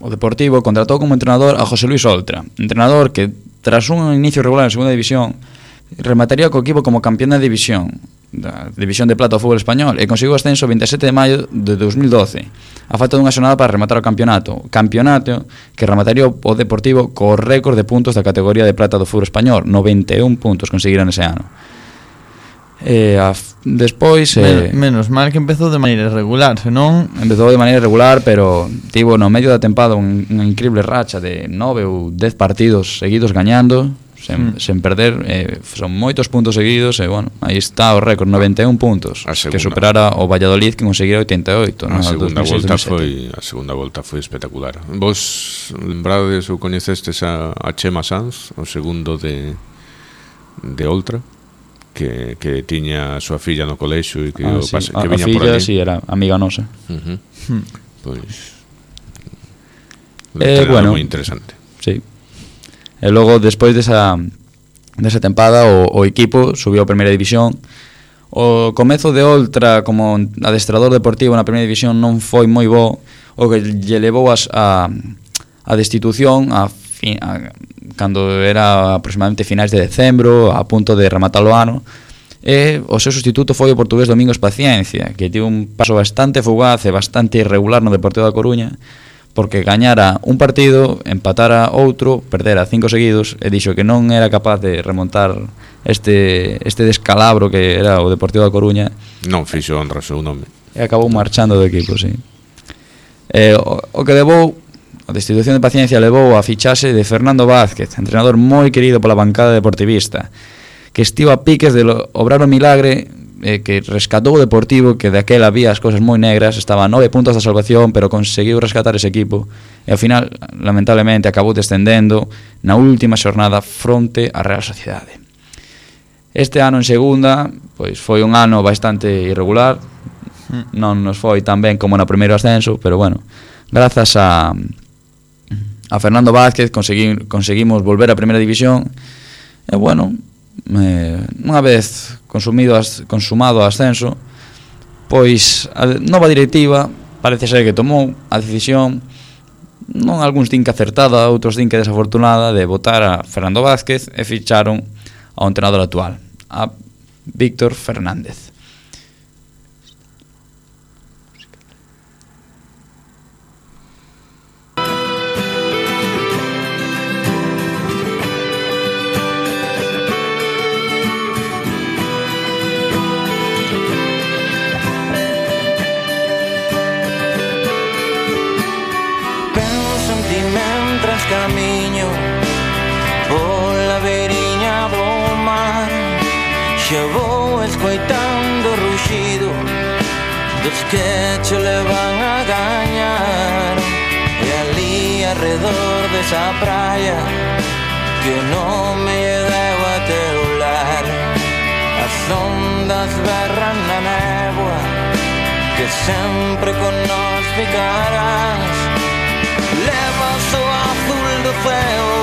o Deportivo contratou como entrenador a José Luis Oltra, entrenador que tras un inicio regular en segunda división remataría co equipo como campeón da división da división de plata do fútbol español e conseguiu o ascenso o veinte e sete de maio de dos mil doce a falta dunha xornada para rematar o campeonato campeonato que remataría o Deportivo co récord de puntos da categoría de plata do fútbol español, noventa e un puntos conseguiran ese ano. E a, despois eh, Men, menos mal que empezou de maneira irregular, senón empezou de maneira irregular, pero tivo no medio da tempada un, unha increíble racha de nove ou dez partidos seguidos gañando sen, mm. sen perder, eh, son moitos puntos seguidos e bueno, aí está o récord, noventa e un puntos, que superara o Valladolid que conseguira oitenta e oito. A no, segunda volta foi a segunda volta foi espectacular. Vos lembrades ou coñecestes a, a Chema Sanz, o segundo de de Oltra? Que, que tiña a súa filla no colexio e que, ah, o sí. pase, que a, viña a filla, por ali. sí, era amiga nosa. Uh-huh. hmm. Pois eh, bueno, moi interesante. Sí. E logo, despois desa, desa tempada, o, o equipo subiu a primeira división. O comezo de Oltra como adestrador deportivo na primeira división non foi moi bo, o que lle levou as, a, a destitución a, fin, a, cando era aproximadamente finais de decembro, a punto de rematar o ano. E o seu sustituto foi o portugués Domingos Paciencia, que tivo un paso bastante fugaz e bastante irregular no Deportivo da Coruña, porque gañara un partido, empatara outro, perdera cinco seguidos e dixo que non era capaz de remontar este este descalabro que era o Deportivo da Coruña. Non fixo honra o seu nome. E acabou marchando do equipo, sí. E o, o que levou a destitución de Paciencia levou a fichaxe de Fernando Vázquez, entrenador moi querido pola bancada deportivista, que estivo a piques de lo, obrar o milagre eh, que rescatou o Deportivo, que daquela había as cousas moi negras, estaba a nove puntos da salvación, pero conseguiu rescatar ese equipo e ao final, lamentablemente, acabou descendendo na última xornada fronte á Real Sociedade. Este ano en segunda, pois foi un ano bastante irregular, non nos foi tan ben como no primeiro ascenso, pero bueno, grazas a a Fernando Vázquez consegui, conseguimos volver á primeira división e bueno, eh, unha vez consumido as, consumado o ascenso, pois a nova directiva parece ser que tomou a decisión, non algúns din que acertada, outros din que desafortunada, de votar a Fernando Vázquez e ficharon ao entrenador actual, a Víctor Fernández. Camiño pola beiriña do mar, xa vou escoitando o ruxido dos que che levan a gañar. E ali arredor desa praia que o nome lle deu a teu lar, as ondas berran na néboa que sempre con nós ficarás. Levas o azul do ceo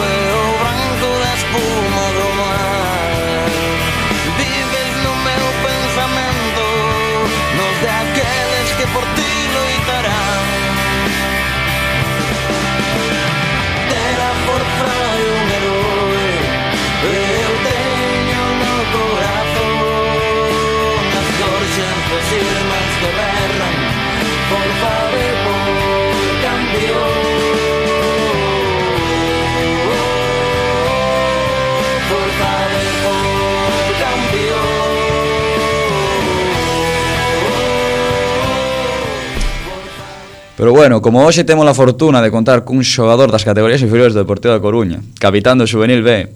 e o branco da espuma do mar. Vives no meu pensamento, nos de aqueles que por ti loitarán. Terá por frai un heroe, eu teño no corazón as gorxas dos irmáns que berran por favor por cambio. Por favor por cambio. Pero bueno, como hoxe temos a fortuna de contar cun xogador das categorías inferiores do Deportivo da Coruña, capitán do Xuvenil B,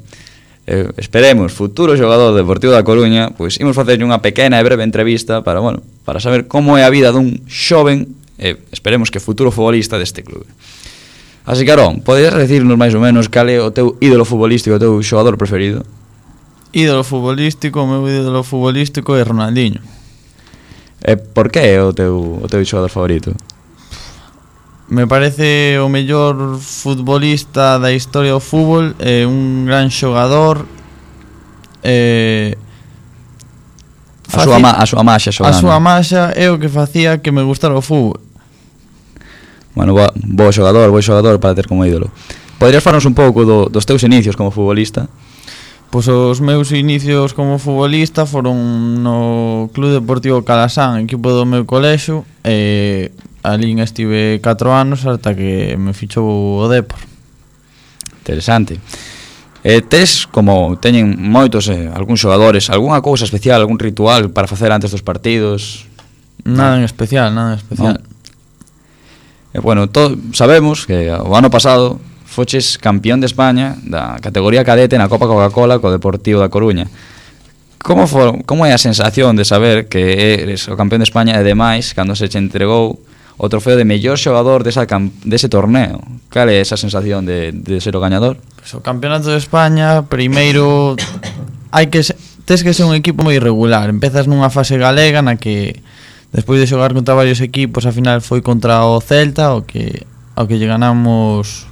eh, esperemos, futuro xogador do Deportivo da Coruña, pois imos facer unha pequena e breve entrevista para, bueno, para saber como é a vida dun xoven e esperemos que futuro futbolista deste clube. Así que, Arón, podes decirnos máis ou menos cal é o teu ídolo futbolístico, o teu xogador preferido? Ídolo futbolístico, o meu ídolo futbolístico é Ronaldinho. E por que é o teu, o teu xogador favorito? Me parece o mellor futbolista da historia do fútbol, é un gran xogador. Eh, A súa, ma, a súa maxa xogando. A súa maxa é o que facía que me gustara o fútbol. Bueno, bo, bo xogador, bo xogador para ter como ídolo. Poderías falarnos un pouco do, dos teus inicios como futbolista? Pois os meus inicios como futbolista foron no Club Deportivo Calasán, equipo do meu colexio, e ali estive catro anos ata que me fichou o Depor. Interesante. Eh, tes, como teñen moitos eh, algúns xogadores, algunha cousa especial, algún ritual para facer antes dos partidos? Nada en especial, nada en especial. No. Eh, bueno, to, sabemos que o ano pasado foches campeón de España da categoría cadete na Copa Coca-Cola co Deportivo da Coruña. Como for, como é a sensación de saber que eres o campeón de España e demais cando se che entregou o trofeo de mellor xogador desa dese torneo? Cal é esa sensación de, de ser o gañador? Pues o campeonato de España, primeiro hai que tes que ser un equipo moi irregular. Empezas nunha fase galega na que despois de xogar contra varios equipos, a final foi contra o Celta, o que ao que lle ganamos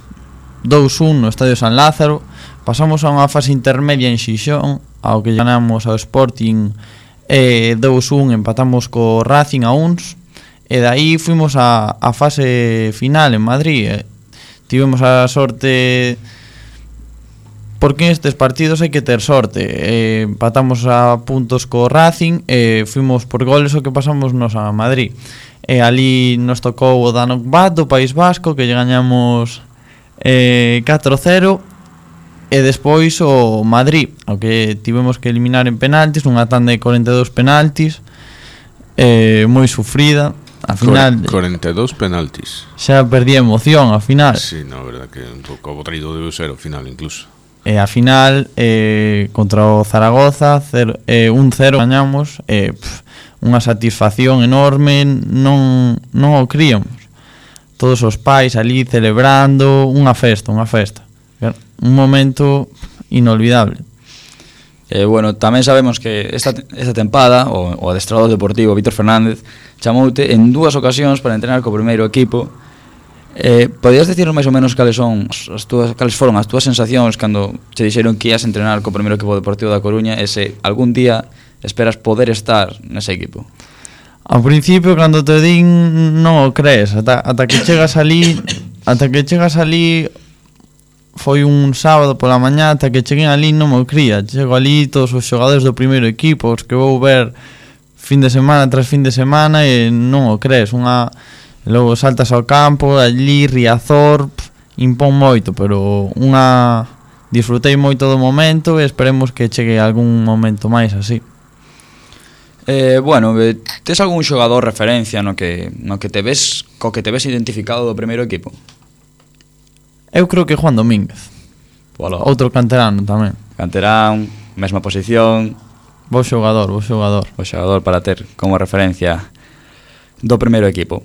dous un no Estadio San Lázaro. Pasamos a unha fase intermedia en Xixón, ao que ganamos ao Sporting e dous un empatamos co Racing a uns, e daí fuimos a, a fase final en Madrid. E tivemos a sorte, porque nestes partidos hai que ter sorte. E empatamos a puntos co Racing e fuimos por goles o que pasamos nos a Madrid. E ali nos tocou o Danok Bat do País Vasco, que lle gañamos eh, catro cero, e despois o Madrid, ao que tivemos que eliminar en penaltis, unha tanda de corenta e dous penaltis, eh, moi sufrida. A final corenta e dous penaltis. xa perdí a emoción a final. Sí, no, verdad que un pouco aburrido debe ser o final incluso. E a final eh, contra o Zaragoza cero, eh, un cero gañamos, eh, pff, unha satisfacción enorme, non, non o críamos. Todos os pais ali celebrando, unha festa, unha festa. Un momento inolvidable. Eh, bueno, tamén sabemos que esta, esta tempada o, o adestrador deportivo Víctor Fernández chamoute en dúas ocasións para entrenar co primeiro equipo. Eh, podías decirnos máis ou menos cales son as túas, cales foron as túas sensacións cando che dixeron que ias entrenar co primeiro equipo deportivo da Coruña e se algún día esperas poder estar nese equipo? Ao principio, cando te din, non o crees, ata, ata que chegas ali, ata que chegas ali, foi un sábado pola mañá, ata que cheguei ali non me cría. Chego ali todos os xogadores do primeiro equipo, os que vou ver fin de semana tras fin de semana, e non o crees. Unha, logo saltas ao campo, ali Riazor, pff, impón moito, pero unha, disfrutei moito do momento e esperemos que chegue algún momento máis así. Eh, bueno, eh, tes algún xogador referencia no que, no que te ves, co que te ves identificado do primeiro equipo? Eu creo que Juan Domínguez, Polo, outro canterano tamén. canterán, mesma posición, Bo xogador, bo xogador. o xogador para ter como referencia do primeiro equipo.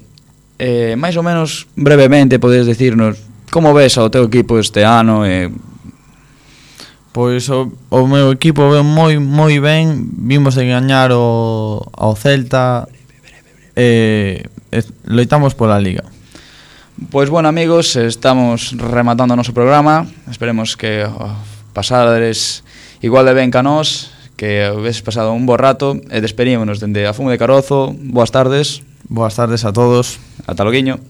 Eh, máis ou menos brevemente podes decirnos como ves ao teu equipo este ano e... Pois o, o meu equipo ven moi moi ben, vimos de gañar o ao Celta e eh, loitamos pola Liga. Pois bueno, amigos, estamos rematando o noso programa. Esperemos que oh, pasades igual de ben ca nós, que habéis pasado un bo rato e despedímonos dende a Fume de Carozo. Boas tardes. Boas tardes a todos. Ata loguiño.